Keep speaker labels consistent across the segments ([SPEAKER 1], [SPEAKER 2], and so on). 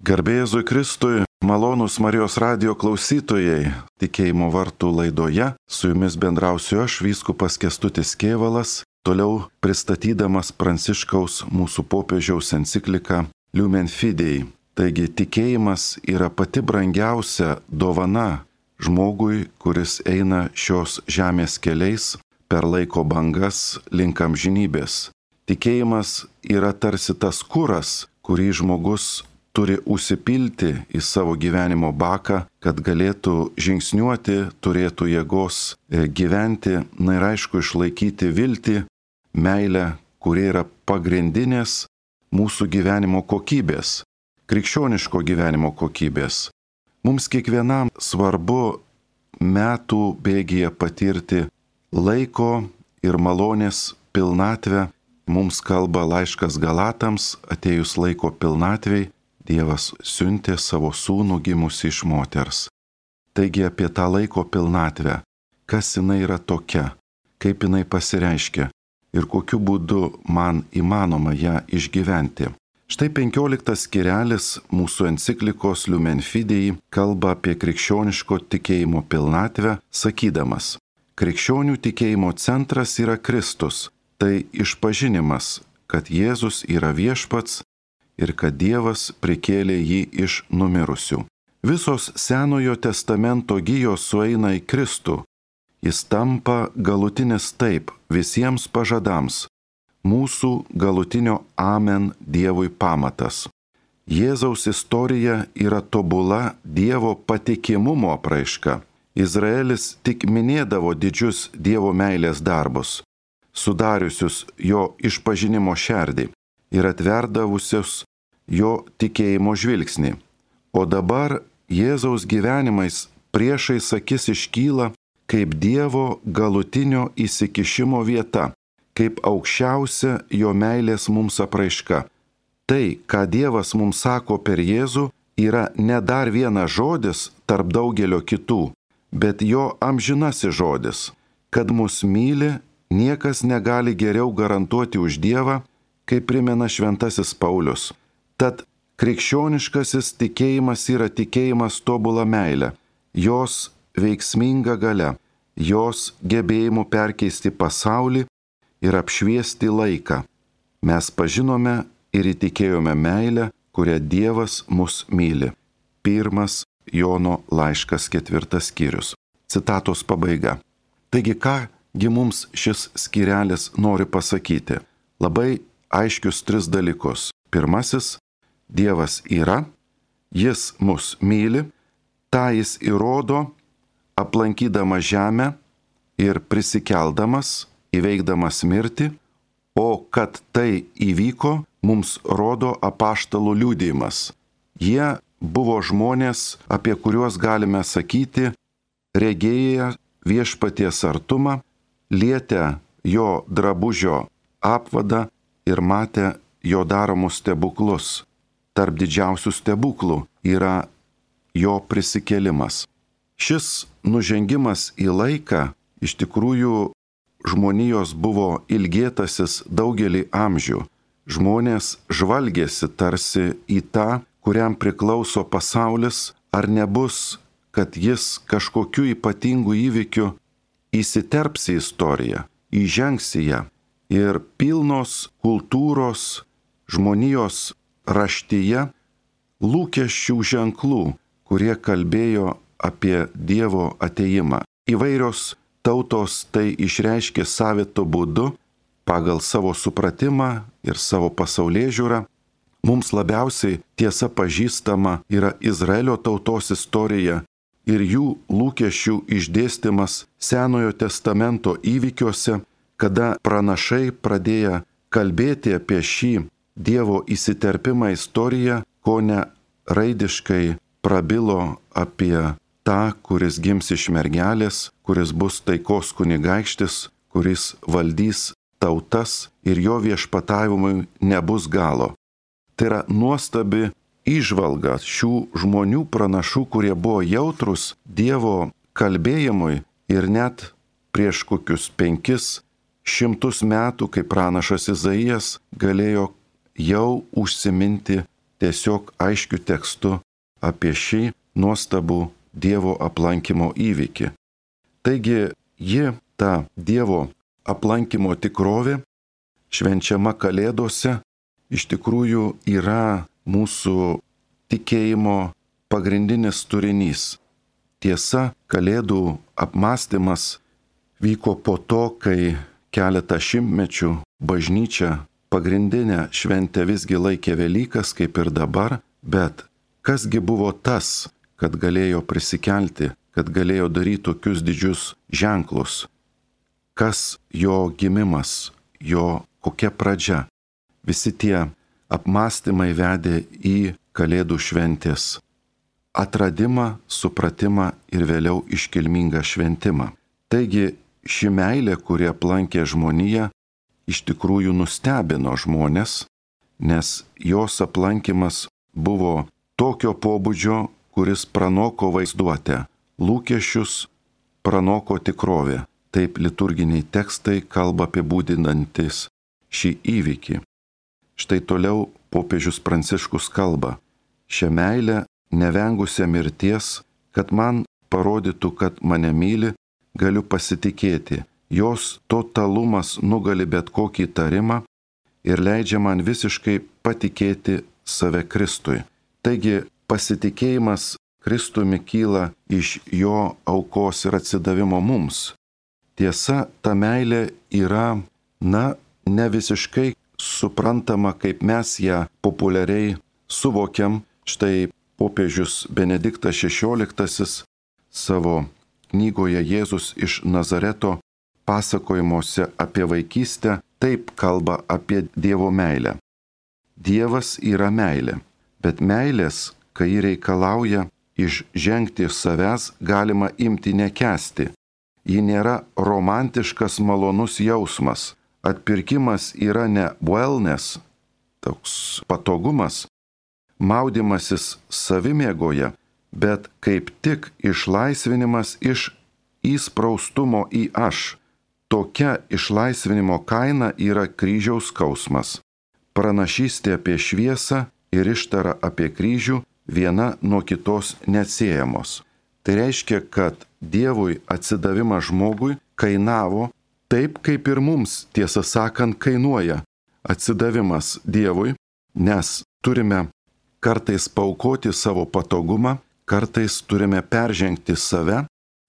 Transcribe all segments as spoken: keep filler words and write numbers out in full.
[SPEAKER 1] Garbė Jėzui Kristui, malonūs Marijos radijo klausytojai, tikėjimo vartų laidoje su jumis bendrausiu aš, vyskupas Kęstutis Kėvalas, toliau pristatydamas Pranciškaus mūsų popiežiaus encikliką Lumen Fidei. Taigi tikėjimas yra pati brangiausia dovana žmogui, kuris eina šios žemės keliais per laiko bangas link amžinybės. Tikėjimas yra tarsi tas kuras, kurį žmogus turi užsipilti į savo gyvenimo baką, kad galėtų žingsniuoti, turėtų jėgos gyventi, na ir aišku išlaikyti viltį, meilę, kurie yra pagrindinės mūsų gyvenimo kokybės, krikščioniško gyvenimo kokybės. Mums kiekvienam svarbu metų bėgyje patirti laiko ir malonės pilnatvę. Mums kalba laiškas Galatams, atėjus laiko pilnatvei, Dievas siuntė savo sūnų gimusį iš moters. Taigi apie tą laiko pilnatvę, kas jinai yra tokia, kaip jinai pasireiškia ir kokiu būdu man įmanoma ją išgyventi. Štai penkioliktas skyrelis mūsų enciklikos Lumen Fidei kalba apie krikščioniško tikėjimo pilnatvę, sakydamas: krikščionių tikėjimo centras yra Kristus, tai išpažinimas, kad Jėzus yra viešpats ir kad Dievas prikėlė jį iš numirusių. Visos Senojo testamento gijos sueina į Kristų. Jis tampa galutinis taip visiems pažadams, mūsų galutinio Amen Dievui pamatas. Jėzaus istorija yra tobula Dievo patikimumo apraiška. Izraelis tik minėdavo didžius Dievo meilės darbus, sudariusius jo išpažinimo šerdį ir atverdavusius jo tikėjimo žvilgsnį. O dabar Jėzaus gyvenimais priešais akis iškyla kaip Dievo galutinio įsikišimo vieta, kaip aukščiausia jo meilės mums apraiška. Tai, ką Dievas mums sako per Jėzų, yra ne dar vienas žodis tarp daugelio kitų, bet jo amžinasis žodis. Kad mus myli, niekas negali geriau garantuoti už Dievą, kaip primena šventasis Paulius. Tad krikščioniškasis tikėjimas yra tikėjimas tobula meilė, jos veiksminga galia, jos gebėjimu perkeisti pasaulį ir apšviesti laiką. Mes pažinome ir įtikėjome meilę, kurią Dievas mus myli. Pirmas Jono laiškas ketvirtas skyrius. Citatos pabaiga. Taigi kągi mums šis skyrelis nori pasakyti? Labai aiškius tris dalykus. Pirmasis, Dievas yra, Jis mus myli, tą Jis įrodo, aplankydama žemę ir prisikeldamas, įveikdamas mirtį, o kad tai įvyko, mums rodo apaštalų liudijimas. Jie buvo žmonės, apie kuriuos galime sakyti, regėję viešpaties artumą, lietę jo drabužio apvadą ir matę jo daromus stebuklus. Tarp didžiausių stebuklų yra jo prisikėlimas. Šis nužengimas į laiką iš tikrųjų žmonijos buvo ilgėtasis daugelį amžių. Žmonės žvalgėsi tarsi į tą, kuriam priklauso pasaulis, ar nebus, kad jis kažkokiu ypatingu įvykiu įsiterps į istoriją, įžengs į ją. Ir pilnos kultūros žmonijos raštyje lūkesčių ženklų, kurie kalbėjo apie Dievo atėjimą. Įvairios tautos tai išreiškė savitu būdu, pagal savo supratimą ir savo pasaulėžiūrą. Mums labiausiai tiesa pažįstama yra Izraelio tautos istorija ir jų lūkesčių išdėstymas Senojo testamento įvykiuose, kada pranašai pradėjo kalbėti apie šį Dievo įsiterpimą istoriją, ko ne raidiškai prabilo apie tą, kuris gims iš mergelės, kuris bus taikos kunigaikštis, kuris valdys tautas ir jo viešpatavimui nebus galo. Tai yra nuostabi įžvalga šių žmonių pranašų, kurie buvo jautrus Dievo kalbėjimui ir net prieš kokius penkis šimtus metų, kai pranašas Izaijas galėjo jau užsiminti tiesiog aiškiu tekstu apie šį nuostabų Dievo aplankymo įvykį. Taigi ji, ta Dievo aplankymo tikrovė, švenčiama Kalėdose, iš tikrųjų yra mūsų tikėjimo pagrindinis turinys. Tiesa, Kalėdų apmąstymas vyko po to, kai keletą šimtmečių bažnyčia pagrindinę šventę visgi laikė Velykas, kaip ir dabar, bet kasgi buvo tas, kad galėjo prisikelti, kad galėjo daryti tokius didžius ženklus? Kas jo gimimas, jo kokia pradžia? Visi tie apmąstymai vedė į Kalėdų šventės atradimą, supratimą ir vėliau iškilmingą šventimą. Taigi ši meilė, kuri aplankė žmoniją, iš tikrųjų nustebino žmonės, nes jos aplankymas buvo tokio pobūdžio, kuris pranoko vaizduotę, lūkesčius pranoko tikrovę. Taip liturginiai tekstai kalba apibūdinantis šį įvykį. Štai toliau popiežius Pranciškus kalba: šią meilę, nevengusią mirties, kad man parodytų, kad mane myli, galiu pasitikėti. Jos totalumas nugali bet kokį įtarimą ir leidžia man visiškai patikėti save Kristui. Taigi pasitikėjimas Kristumi kyla iš jo aukos ir atsidavimo mums. Tiesa, ta meilė yra, na, ne visiškai suprantama, kaip mes ją populiariai suvokiam. Štai popiežius Benediktas šešioliktasis savo knygoje Jėzus iš Nazareto pasakojimuose apie vaikystę taip kalba apie Dievo meilę. Dievas yra meilė, bet meilės, kai ji reikalauja išžengti iš savęs, galima imti nekęsti. Ji nėra romantiškas malonus jausmas. Atpirkimas yra ne wellness, toks patogumas, maudimasis savimėgoje, bet kaip tik išlaisvinimas iš įspraustumo į aš. Tokia išlaisvinimo kaina yra kryžiaus skausmas. Pranašystė apie šviesą ir ištara apie kryžių viena nuo kitos neatsiejamos. Tai reiškia, kad Dievui atsidavimas žmogui kainavo taip, kaip ir mums, tiesą sakant, kainuoja atsidavimas Dievui, nes turime kartais paaukoti savo patogumą, kartais turime peržengti save.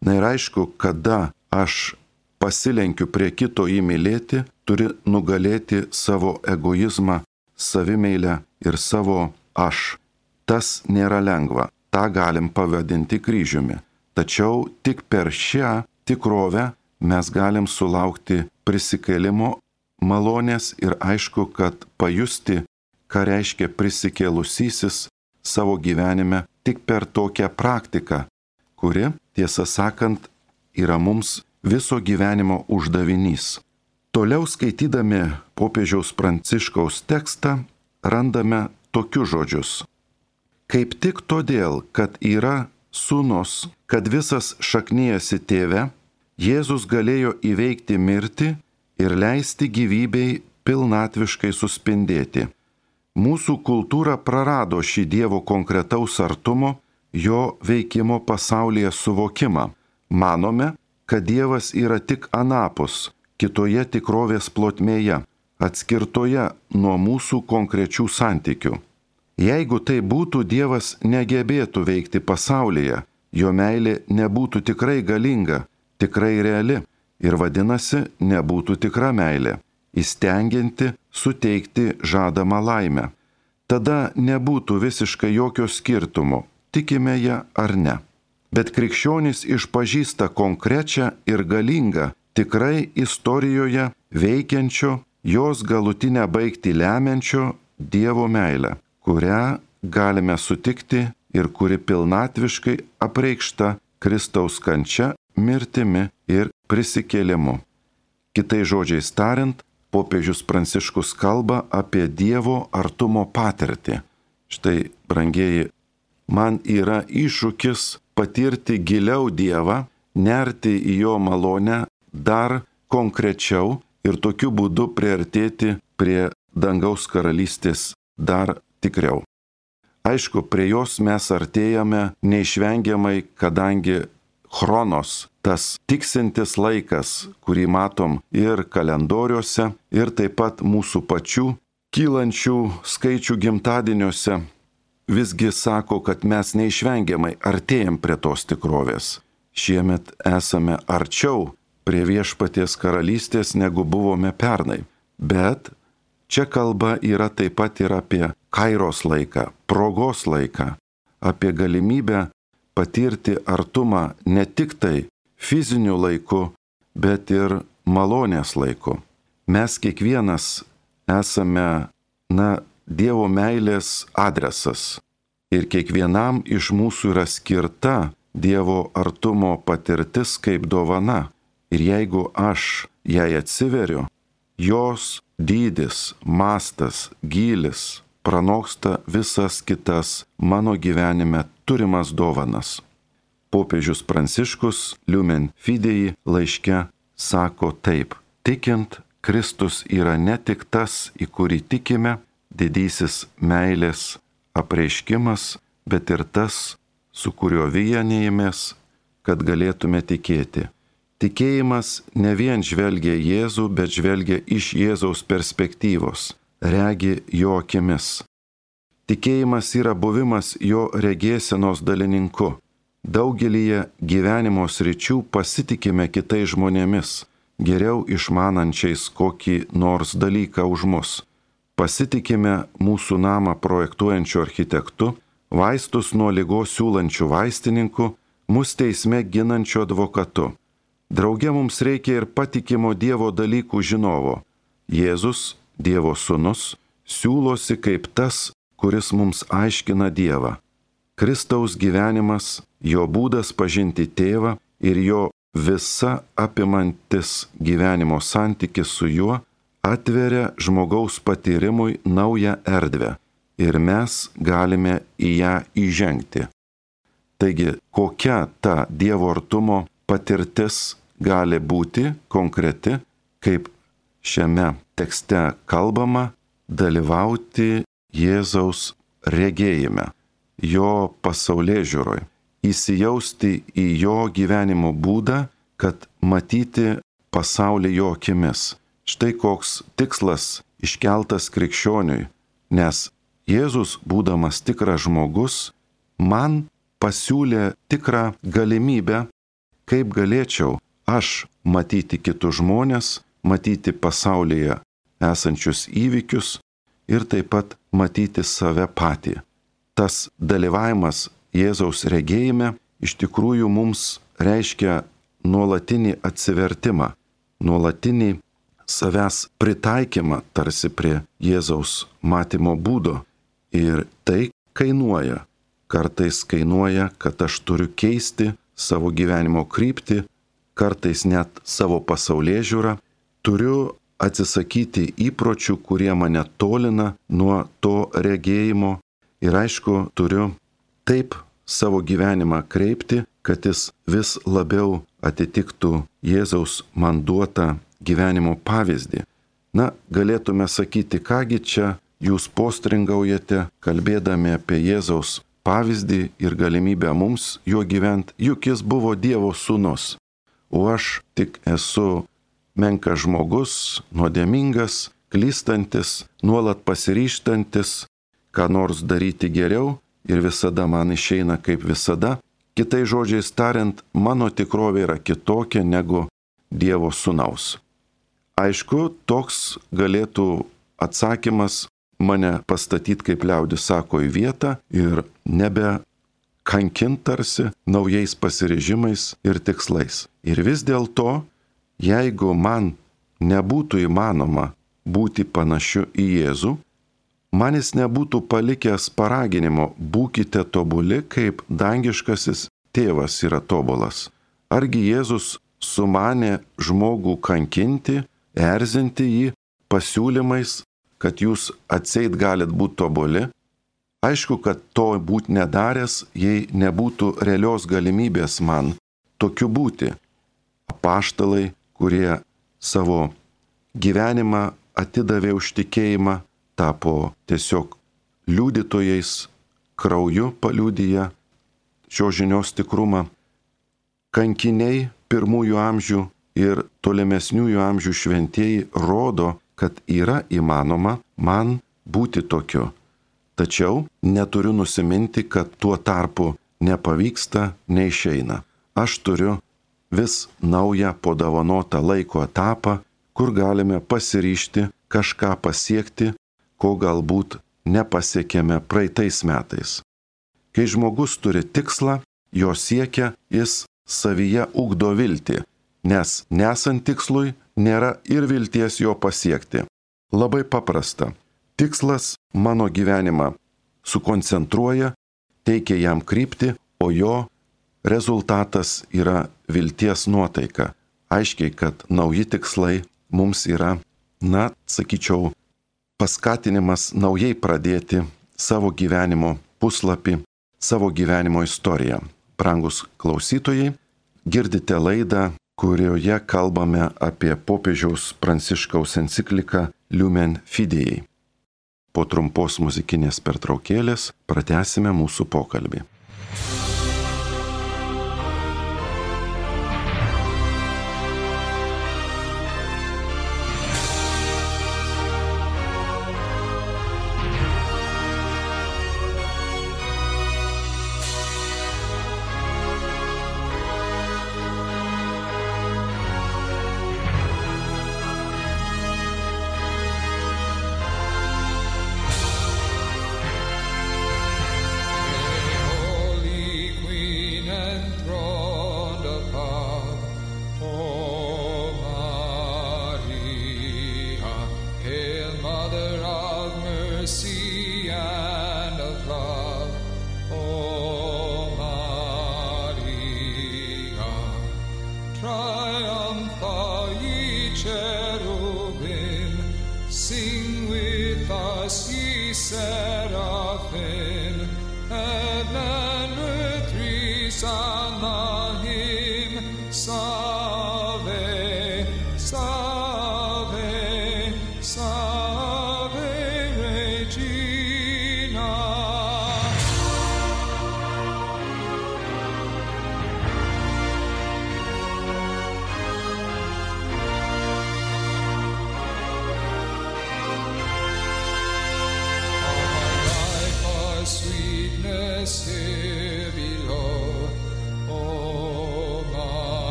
[SPEAKER 1] Na ir aišku, kada aš pasilenkiu prie kito jį mylėti, turi nugalėti savo egoizmą, savimeilę ir savo aš. Tas nėra lengva, tą galim pavadinti kryžiumi. Tačiau tik per šią tikrovę mes galim sulaukti prisikėlimo malonės ir aišku, kad pajusti, ką reiškia prisikėlusysis savo gyvenime tik per tokią praktiką, kuri, tiesą sakant, yra mums viso gyvenimo uždavinys. Toliau skaitydami popiežiaus Pranciškaus tekstą randame tokius žodžius. Kaip tik todėl, kad yra sūnus, kad visas šaknijasi tėve, Jėzus galėjo įveikti mirtį ir leisti gyvybei pilnatviškai suspindėti. Mūsų kultūra prarado šį Dievo konkretaus artumo, jo veikimo pasaulyje suvokimą. Manome, kad Dievas yra tik anapus, kitoje tikrovės plotmėje, atskirtoje nuo mūsų konkrečių santykių. Jeigu tai būtų, Dievas negebėtų veikti pasaulyje, jo meilė nebūtų tikrai galinga, tikrai reali ir vadinasi, nebūtų tikra meilė, įstengianti suteikti žadamą laimę. Tada nebūtų visiškai jokio skirtumo, tikime ją ar ne. Bet krikščionys išpažįsta konkrečią ir galingą, tikrai istorijoje veikiančio, jos galutinę baigtį lemiančio Dievo meilę, kurią galime sutikti ir kuri pilnatviškai apreikšta Kristaus kančia, mirtimi ir prisikėlimu. Kitais žodžiais tariant, popiežius Pranciškus kalba apie Dievo artumo patirtį. Štai, brangieji, man yra iššūkis patirti giliau Dievą, nerti į jo malonę dar konkrečiau ir tokiu būdu priartėti prie dangaus karalystės dar tikriau. Aišku, prie jos mes artėjame neišvengiamai, kadangi chronos, tas tiksintis laikas, kurį matom ir kalendoriuose, ir taip pat mūsų pačių kylančių skaičių gimtadieniuose, visgi sako, kad mes neišvengiamai artėjam prie tos tikrovės. Šiemet esame arčiau prie viešpaties karalystės, negu buvome pernai. Bet čia kalba yra taip pat ir apie kairos laiką, progos laiką, apie galimybę patirti artumą ne tik tai fiziniu laiku, bet ir malonės laiku. Mes kiekvienas esame, na, Dievo meilės adresas ir kiekvienam iš mūsų yra skirta Dievo artumo patirtis kaip dovana. Ir jeigu aš jai atsiveriu, jos dydis, mastas, gylis pranoksta visas kitas mano gyvenime turimas dovanas. Popiežius Pranciškus Lumen Fidei laiške sako taip: tikint, Kristus yra ne tik tas, į kurį tikime, didysis meilės apreiškimas, bet ir tas, su kuriuo vienijamės, kad galėtume tikėti. Tikėjimas ne vien žvelgia Jėzų, bet žvelgia iš Jėzaus perspektyvos, regi jo akimis. Tikėjimas yra buvimas jo regėsenos dalininku. Daugelyje gyvenimo sričių pasitikime kitais žmonėmis, geriau išmanančiais kokį nors dalyką už mus. Pasitikime mūsų namą projektuojančiu architektu, vaistus nuo ligos siūlančiu vaistininku, mus teisme ginančiu advokatu. Drauge mums reikia ir patikimo Dievo dalykų žinovo. Jėzus, Dievo sūnus, siūlosi kaip tas, kuris mums aiškina Dievą. Kristaus gyvenimas, jo būdas pažinti tėvą ir jo visa apimantis gyvenimo santykis su juo atveria žmogaus patyrimui naują erdvę ir mes galime į ją įžengti. Taigi, kokia ta Dievo artumo patirtis gali būti konkreti, kaip šiame tekste kalbama, dalyvauti Jėzaus regėjime, jo pasaulėžiūroje, įsijausti į jo gyvenimo būdą, kad matyti pasaulį jo akimis. Štai koks tikslas iškeltas krikščioniui, nes Jėzus, būdamas tikras žmogus, man pasiūlė tikrą galimybę, kaip galėčiau aš matyti kitus žmonės, matyti pasaulyje esančius įvykius ir taip pat matyti save patį. Tas dalyvavimas Jėzaus regėjime iš tikrųjų mums reiškia nuolatinį atsivertimą, nuolatinį savęs pritaikymą tarsi prie Jėzaus matymo būdo. Ir tai kainuoja. Kartais kainuoja, kad aš turiu keisti savo gyvenimo kryptį, kartais net savo pasaulėžiūrą, turiu atsisakyti įpročių, kurie mane tolina nuo to regėjimo ir aišku, turiu taip savo gyvenimą kreipti, kad jis vis labiau atitiktų Jėzaus man duotą gyvenimo pavyzdį. Na, galėtume sakyti, kągi čia jūs postringaujate, kalbėdami apie Jėzaus pavyzdį ir galimybę mums juo gyventi, juk jis buvo Dievo sūnus, o aš tik esu menkas žmogus, nuodėmingas, klystantis, nuolat pasiryžtantis, ką nors daryti geriau ir visada man išeina kaip visada. Kitais žodžiais tariant, mano tikrovė yra kitokia negu Dievo sūnaus. Aišku, toks galėtų atsakymas mane pastatyti, kaip liaudis sako, į vietą ir nebe kankint tarsi naujais pasiryžimais ir tikslais. Ir vis dėlto, jeigu man nebūtų įmanoma būti panašiu į Jėzų, man jis nebūtų palikęs paraginimo būkite tobuli, kaip dangiškasis tėvas yra tobulas. Argi Jėzus sumanė žmogų kankinti, erzinti jį pasiūlymais, kad jūs atseit galit būti tobuli? Aišku, kad to būt nedaręs, jei nebūtų realios galimybės man tokiu būti. Apaštalai, kurie savo gyvenimą atidavė už tikėjimą, tapo tiesiog liudytojais krauju paliudyja šios žinios tikrumą. Kankiniai pirmųjų amžių ir tolimesniųjų amžių šventieji rodo, kad yra įmanoma man būti tokiu. Tačiau neturiu nusiminti, kad tuo tarpu nepavyksta, neišeina. Aš turiu vis naują padovanotą laiko etapą, kur galime pasiryžti kažką pasiekti, ko galbūt nepasiekėme praeitais metais. Kai žmogus turi tikslą, jo siekia, jis savyje ugdo viltį, nes nesant tikslui nėra ir vilties jo pasiekti. Labai paprasta. Tikslas mano gyvenimą sukoncentruoja, teikia jam kryptį, o jo rezultatas yra vilties nuotaika. Aiškiai, kad nauji tikslai mums yra, na, sakyčiau, paskatinimas naujai pradėti savo gyvenimo puslapį, savo gyvenimo istoriją. Brangus klausytojai, girdite laidą, kurioje kalbame apie popiežiaus Pranciškaus encikliką Lumen Fidei. Po trumpos muzikinės pertraukėlės pratęsime mūsų pokalbį.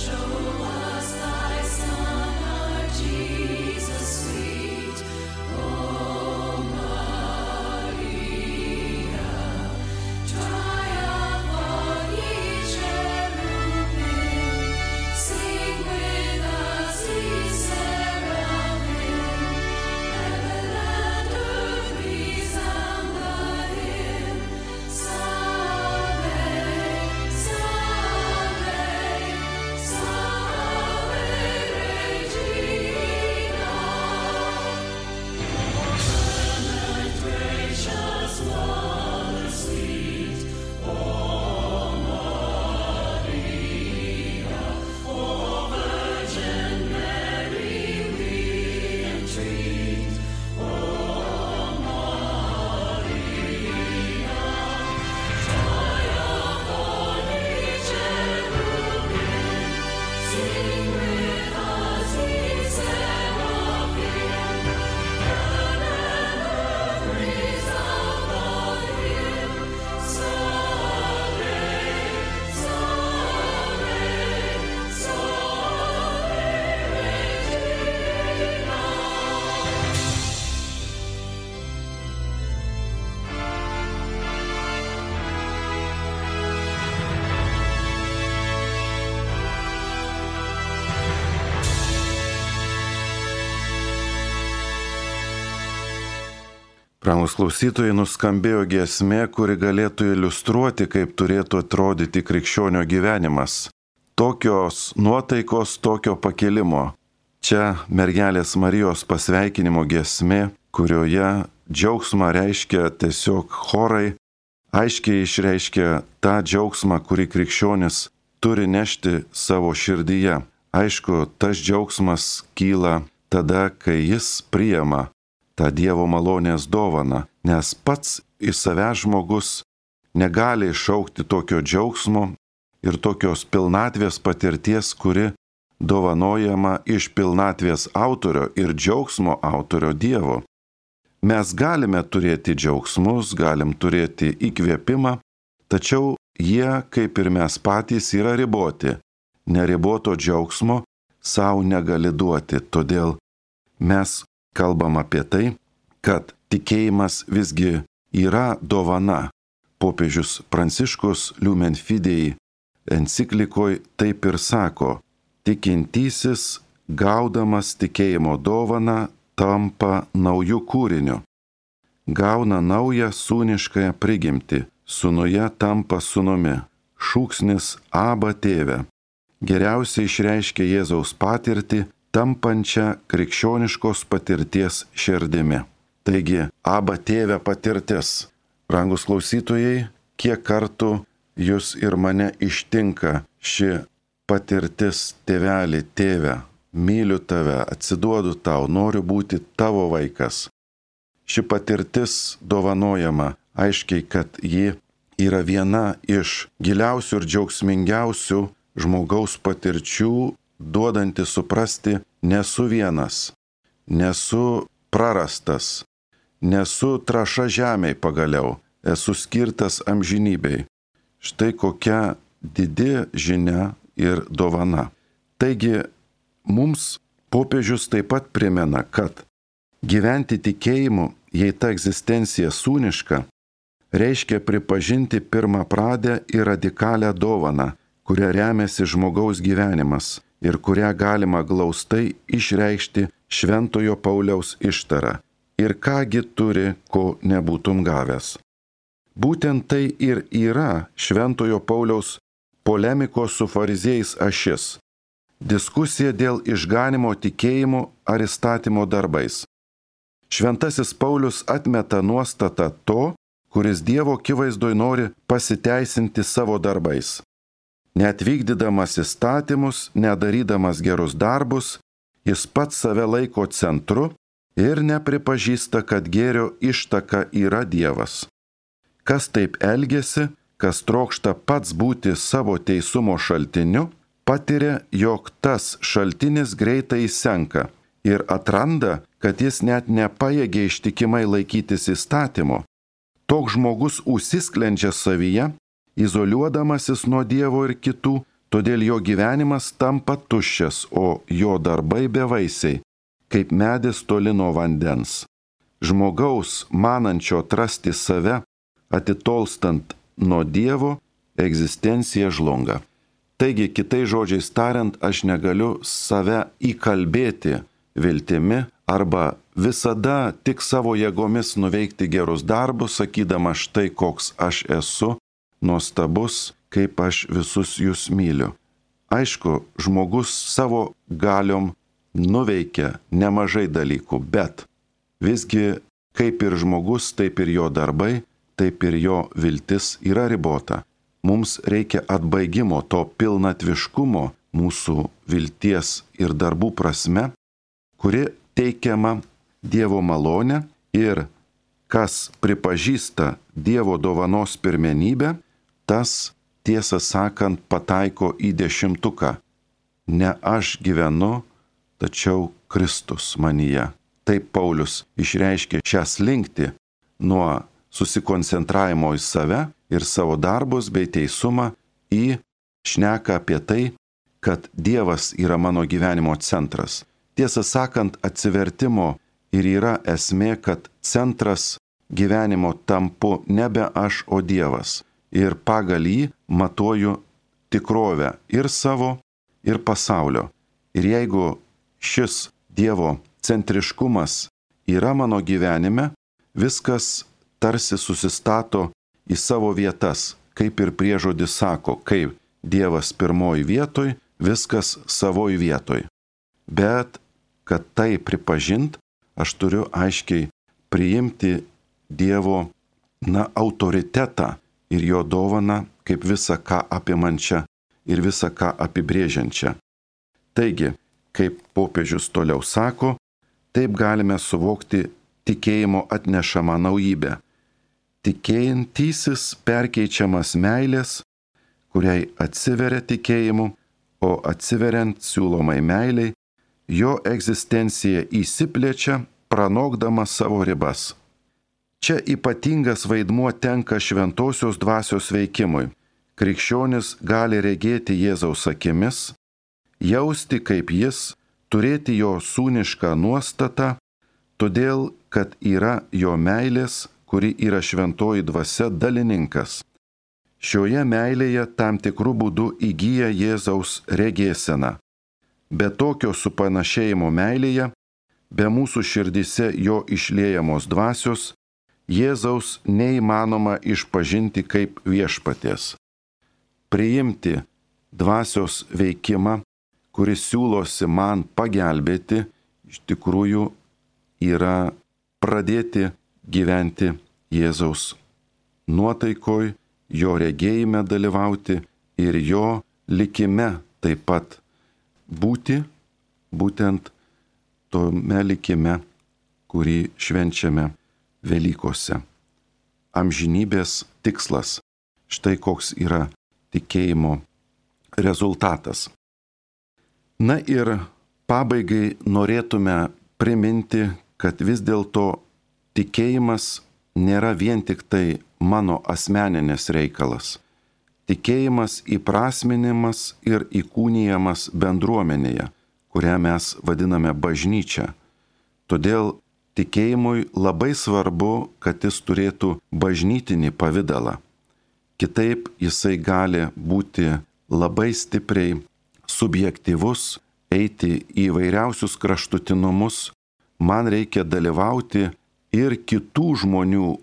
[SPEAKER 2] Show us thy Son, our Jesus.
[SPEAKER 1] Brangus klausytojai, nuskambėjo giesmė, kuri galėtų iliustruoti, kaip turėtų atrodyti krikščionio gyvenimas. Tokios nuotaikos, tokio pakilimo. Čia mergelės Marijos pasveikinimo giesmė, kurioje džiaugsmą reiškia tiesiog chorai, aiškiai išreiškia tą džiaugsmą, kurį krikščionis turi nešti savo širdyje. Aišku, tas džiaugsmas kyla tada, kai jis priima tą Dievo malonės dovaną, nes pats į save žmogus negali iššaukti tokio džiaugsmo ir tokios pilnatvės patirties, kuri dovanojama iš pilnatvės autorio ir džiaugsmo autorio Dievo. Mes galime turėti džiaugsmus, galim turėti įkvėpimą, tačiau jie, kaip ir mes patys, yra riboti. Neriboto džiaugsmo savo negali duoti, todėl mes kalbam apie tai, kad tikėjimas visgi yra dovana. Popiežius Pranciškus Lumen Fidei enciklikoj taip ir sako, tikintysis, gaudamas tikėjimo dovaną, tampa naujų kūriniu. Gauna naują sūniškąją prigimtį, sūnuje tampa sūnumi. Šūksnis Aba tėve geriausiai išreiškia Jėzaus patirtį, tampančią krikščioniškos patirties širdimi. Taigi, Aba tėve patirtis. Brangus klausytojai, kiek kartų jūs ir mane ištinka ši patirtis, tėvelį, tėve, myliu tave, atsiduodu tau, noriu būti tavo vaikas. Ši patirtis dovanojama, aiškiai, kad ji yra viena iš giliausių ir džiaugsmingiausių žmogaus patirčių, duodanti suprasti, nesu vienas, nesu prarastas, nesu trąša žemėj pagaliau, esu skirtas amžinybei. Štai kokia didi žinia ir dovana. Taigi, mums popiežius taip pat primena, kad gyventi tikėjimu, jei ta egzistencija sūniška, reiškia pripažinti pirmapradę ir radikalią dovaną, kuria remiasi žmogaus gyvenimas ir kurią galima glaustai išreikšti Šventojo Pauliaus ištara. Ir kągi turi, ko nebūtum gavęs. Būtent tai ir yra Šventojo Pauliaus polemikos su fariziejais ašis. Diskusija dėl išganimo tikėjimu ar įstatymo darbais. Šventasis Paulius atmeta nuostatą to, kuris Dievo akivaizdoj nori pasiteisinti savo darbais. Net vykdydamas įstatymus, nedarydamas gerus darbus, jis pats save laiko centru ir nepripažįsta, kad gėrio ištaka yra Dievas. Kas taip elgiasi, kas trokšta pats būti savo teisumo šaltiniu, patiria, jog tas šaltinis greitai įsenka ir atranda, kad jis net nepajėgia ištikimai laikytis įstatymo. Toks žmogus užsisklendžia savyje, izoliuodamasis nuo Dievo ir kitų, todėl jo gyvenimas tampa tuščias, o jo darbai bevaisiai, kaip medis toli nuo vandens. Žmogaus, manančio atrasti save, atitolstant nuo Dievo, egzistencija žlunga. Taigi, kitais žodžiais tariant, aš negaliu save įkalbėti viltimi arba visada tik savo jėgomis nuveikti gerus darbus, sakydama štai koks aš esu, nuostabus, kaip aš visus jūs myliu. Aišku, žmogus savo galiom nuveikia nemažai dalykų, bet visgi kaip ir žmogus, taip ir jo darbai, taip ir jo viltis yra ribota. Mums reikia atbaigimo, to pilnatviškumo mūsų vilties ir darbų prasme, kuri teikiama Dievo malonė ir kas pripažįsta Dievo dovanos pirmenybę, tas, tiesą sakant, pataiko į dešimtuką. Ne aš gyvenu, tačiau Kristus manyje. Taip Paulius išreiškė šią slinktį nuo susikoncentravimo į save ir savo darbus bei teisumą į šneką apie tai, kad Dievas yra mano gyvenimo centras. Tiesą sakant, atsivertimo ir yra esmė, kad centras gyvenimo tampu nebe aš, o Dievas. Ir pagal jį matuoju tikrovę ir savo, ir pasaulio. Ir jeigu šis Dievo centriškumas yra mano gyvenime, viskas tarsi susistato į savo vietas, kaip ir priežodis sako, kaip Dievas pirmoj vietoj, viskas savoj vietoj. Bet, kad tai pripažint, aš turiu aiškiai priimti Dievo, na, autoritetą ir jo dovaną kaip visą ką apimančią ir visą ką apibrėžiančią. Taigi, kaip popiežius toliau sako, taip galime suvokti tikėjimo atnešamą naujybę. Tikėjantysis perkeičiamas meilės, kuriai atsiveria tikėjimu, o atsiveriant siūlomai meiliai, jo egzistencija įsiplečia, pranokdama savo ribas. Čia ypatingas vaidmuo tenka šventosios dvasios veikimui. Krikščionis gali regėti Jėzaus akimis, jausti kaip jis, turėti jo sūnišką nuostatą, todėl, kad yra jo meilės, kuri yra šventoji dvasia dalininkas. Šioje meilėje tam tikrų būdų įgyja Jėzaus regėsena. Be tokio supanašėjimo meilėje, be mūsų širdise jo išliejamos dvasios, Jėzaus neįmanoma išpažinti kaip viešpaties. Priimti dvasios veikimą, kuris siūlosi man pagelbėti, iš tikrųjų yra pradėti gyventi Jėzaus nuotaikoj, jo regėjime dalyvauti ir jo likime taip pat būti, būtent tome likime, kurį švenčiame Velykose. Amžinybės tikslas. Štai koks yra tikėjimo rezultatas. Na ir pabaigai norėtume priminti, kad vis dėlto tikėjimas nėra vien tik tai mano asmeninis reikalas. Tikėjimas įprasminimas ir įkūnijamas bendruomenėje, kurią mes vadiname bažnyčia. Todėl tikėjimui labai svarbu, kad jis turėtų bažnytinį pavidalą. Kitaip jisai gali būti labai stipriai subjektyvus, eiti į įvairiausius kraštutinumus. Man reikia dalyvauti ir kitų žmonių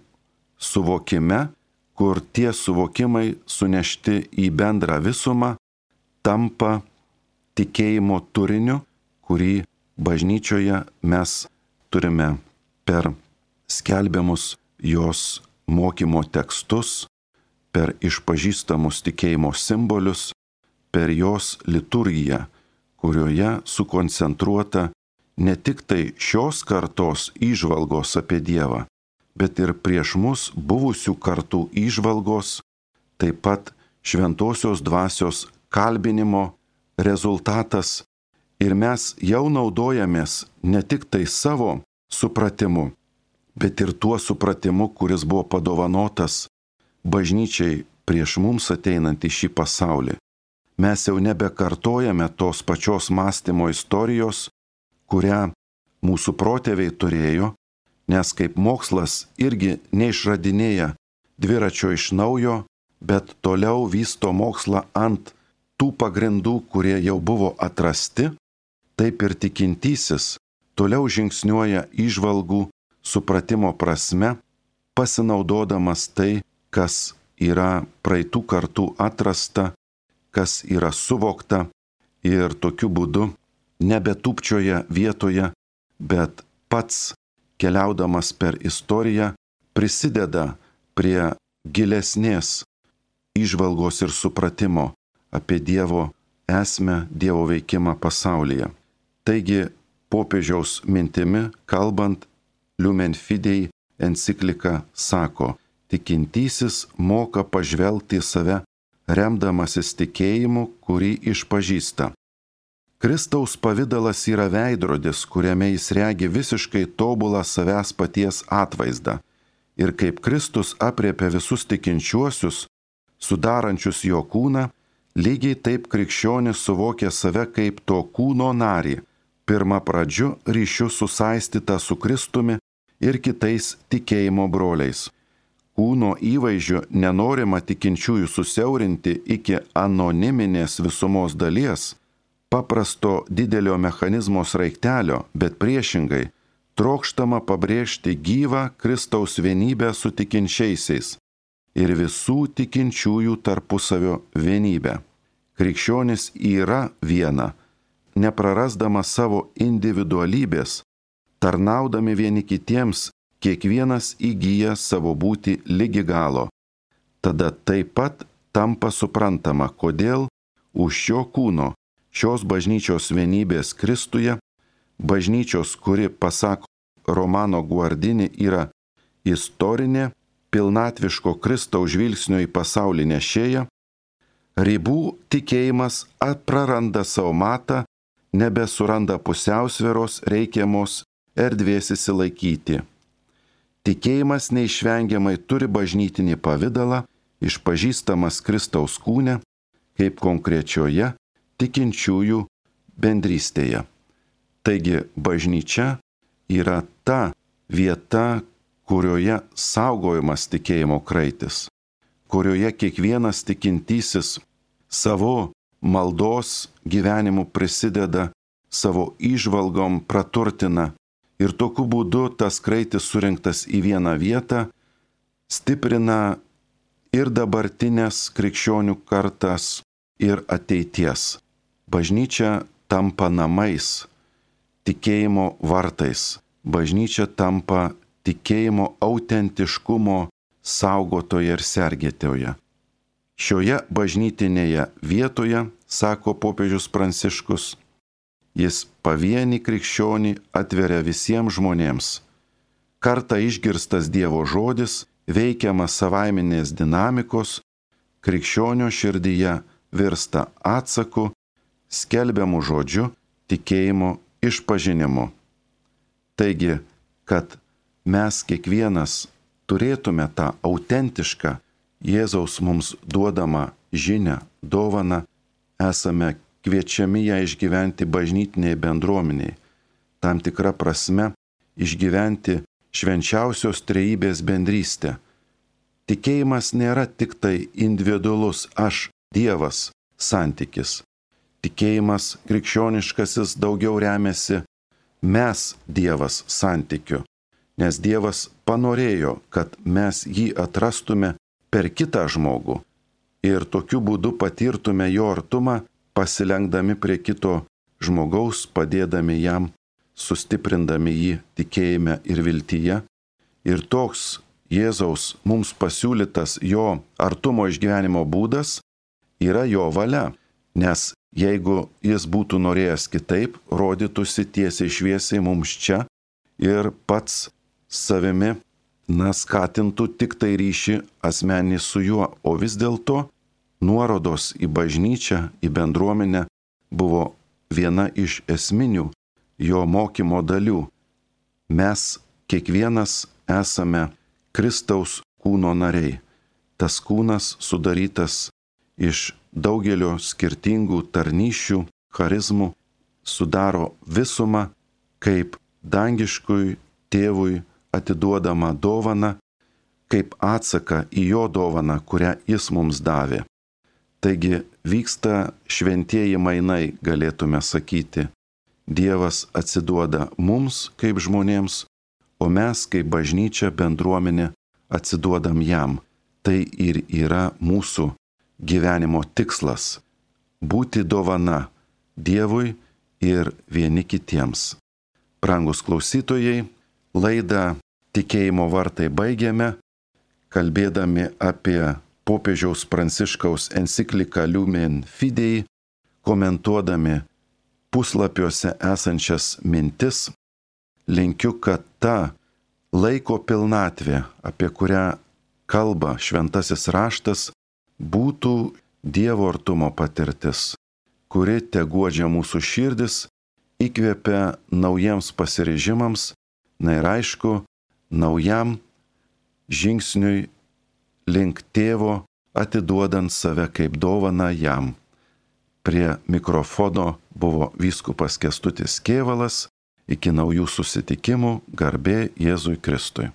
[SPEAKER 1] suvokime, kur tie suvokimai sunešti į bendrą visumą tampa tikėjimo turiniu, kurį bažnyčioje mes turime per skelbiamus jos mokymo tekstus, per išpažįstamus tikėjimo simbolius, per jos liturgiją, kurioje sukoncentruota ne tik tai šios kartos įžvalgos apie Dievą, bet ir prieš mus buvusių kartų įžvalgos, taip pat šventosios dvasios kalbinimo rezultatas. Ir mes jau naudojamės ne tik tai savo supratimu, bet ir tuo supratimu, kuris buvo padovanotas bažnyčiai prieš mums ateinant į šį pasaulį. Mes jau nebekartojame tos pačios mąstymo istorijos, kurią mūsų protėviai turėjo, nes kaip mokslas irgi neišradinėja dviračio iš naujo, bet toliau vysto mokslą ant tų pagrindų, kurie jau buvo atrasti. Taip ir tikintysis toliau žingsniuoja įžvalgų supratimo prasme, pasinaudodamas tai, kas yra praeitų kartų atrasta, kas yra suvokta ir tokiu būdu nebetūpčioja vietoje, bet pats keliaudamas per istoriją prisideda prie gilesnės įžvalgos ir supratimo apie Dievo esmę, Dievo veikimą pasaulyje. Taigi, popiežiaus mintimi kalbant, Lumen Fidei enciklika sako, tikintysis moka pažvelgti į save, remdamasis tikėjimu, kurį išpažįsta. Kristaus pavidalas yra veidrodis, kuriame jis regi visiškai tobulą savęs paties atvaizdą. Ir kaip Kristus apriepia visus tikinčiuosius, sudarančius jo kūną, lygiai taip krikščionis suvokia save kaip to kūno narį, pirmą pradžiu ryšiu susaistytą su Kristumi ir kitais tikėjimo broliais. Kūno įvaizdžiu nenorima tikinčiųjų susiaurinti iki anoniminės visumos dalies, paprasto didelio mechanizmo sraigtelio, bet priešingai trokštama pabrėžti gyvą Kristaus vienybę su tikinčiaisiais ir visų tikinčiųjų tarpusavio vienybę. Krikščionis yra viena, neprarasdama savo individualybės, tarnaudami vieni kitiems, kiekvienas įgyja savo būtį lygi galo. Tada taip pat tampa suprantama, kodėl už šio kūno, šios bažnyčios vienybės Kristuje, bažnyčios, kuri, pasak Romano Guardini, yra istorinė, pilnatviško Kristaus žvilgsnio į pasaulį nešėja, ribų tikėjimas praranda savo matą, nebesuranda pusiausvyros reikiamos erdvės įsilaikyti. Tikėjimas neišvengiamai turi bažnytinį pavidalą, išpažįstamas Kristaus kūne, kaip konkrečioje tikinčiųjų bendrystėje. Taigi bažnyčia yra ta vieta, kurioje saugojimas tikėjimo kraitis, kurioje kiekvienas tikintysis savo maldos gyvenimu prisideda, savo įžvalgom praturtina ir tokiu būdu tas kraitis surinktas į vieną vietą stiprina ir dabartinės krikščionių kartas ir ateities. Bažnyčia tampa namais, tikėjimo vartais. Bažnyčia tampa tikėjimo autentiškumo saugotoje ir sergėtoje. Šioje bažnytinėje vietoje, sako popiežius Pranciškus, jis pavienį krikščionį atveria visiems žmonėms. Kartą išgirstas Dievo žodis, veikiamas savaiminės dinamikos, krikščionio širdyje virsta atsaku, skelbiamu žodžiu, tikėjimo išpažinimu. Taigi, kad mes kiekvienas turėtume tą autentišką Jėzaus mums duodamą žinią, dovaną, esame kviečiami ją išgyventi bažnytiniai bendruomeniai, tam tikra prasme išgyventi švenčiausios trejybės bendrystę. Tikėjimas nėra tik tai individualus aš, Dievas santykis. Tikėjimas krikščioniškasis daugiau remiasi mes, Dievas santykiu, nes Dievas panorėjo, kad mes jį atrastume per kitą žmogų ir tokiu būdu patirtume jo artumą, pasilenkdami prie kito žmogaus, padėdami jam, sustiprindami jį tikėjime ir viltyje. Ir toks Jėzaus mums pasiūlytas jo artumo išgyvenimo būdas yra jo valia, nes jeigu jis būtų norėjęs kitaip, rodytųsi tiesiai šviesiai mums čia ir pats savimi, na, skatintų tik tai ryšį asmenį su juo, o vis dėlto nuorodos į bažnyčią, į bendruomenę buvo viena iš esminių jo mokymo dalių. Mes kiekvienas esame Kristaus kūno nariai. Tas kūnas sudarytas iš daugelio skirtingų tarnysčių, charizmų, sudaro visumą kaip dangiškui tėvui atiduodama dovana, kaip atsaką į jo dovaną, kurią jis mums davė. Taigi vyksta šventieji mainai, galėtume sakyti. Dievas atsiduoda mums kaip žmonėms, o mes kaip bažnyčia bendruomenė atsiduodam jam. Tai ir yra mūsų gyvenimo tikslas – būti dovana Dievui ir vieni kitiems. Brangus klausytojai, laidą Tikėjimo vartai baigėme, kalbėdami apie popiežiaus Pranciškaus encikliką Lumen Fidei, komentuodami puslapiuose esančias mintis. Linkiu, kad ta laiko pilnatvė, apie kurią kalba šventasis raštas, būtų Dievo artumo patirtis, kuri teguodžia mūsų širdis, įkvepia naujiems pasiryžimams, na ir aišku, naujam žingsniui link tėvo, atiduodant save kaip dovaną jam. Prie mikrofono buvo vyskupas Kęstutis Kėvalas. Iki naujų susitikimų, garbė Jėzui Kristui.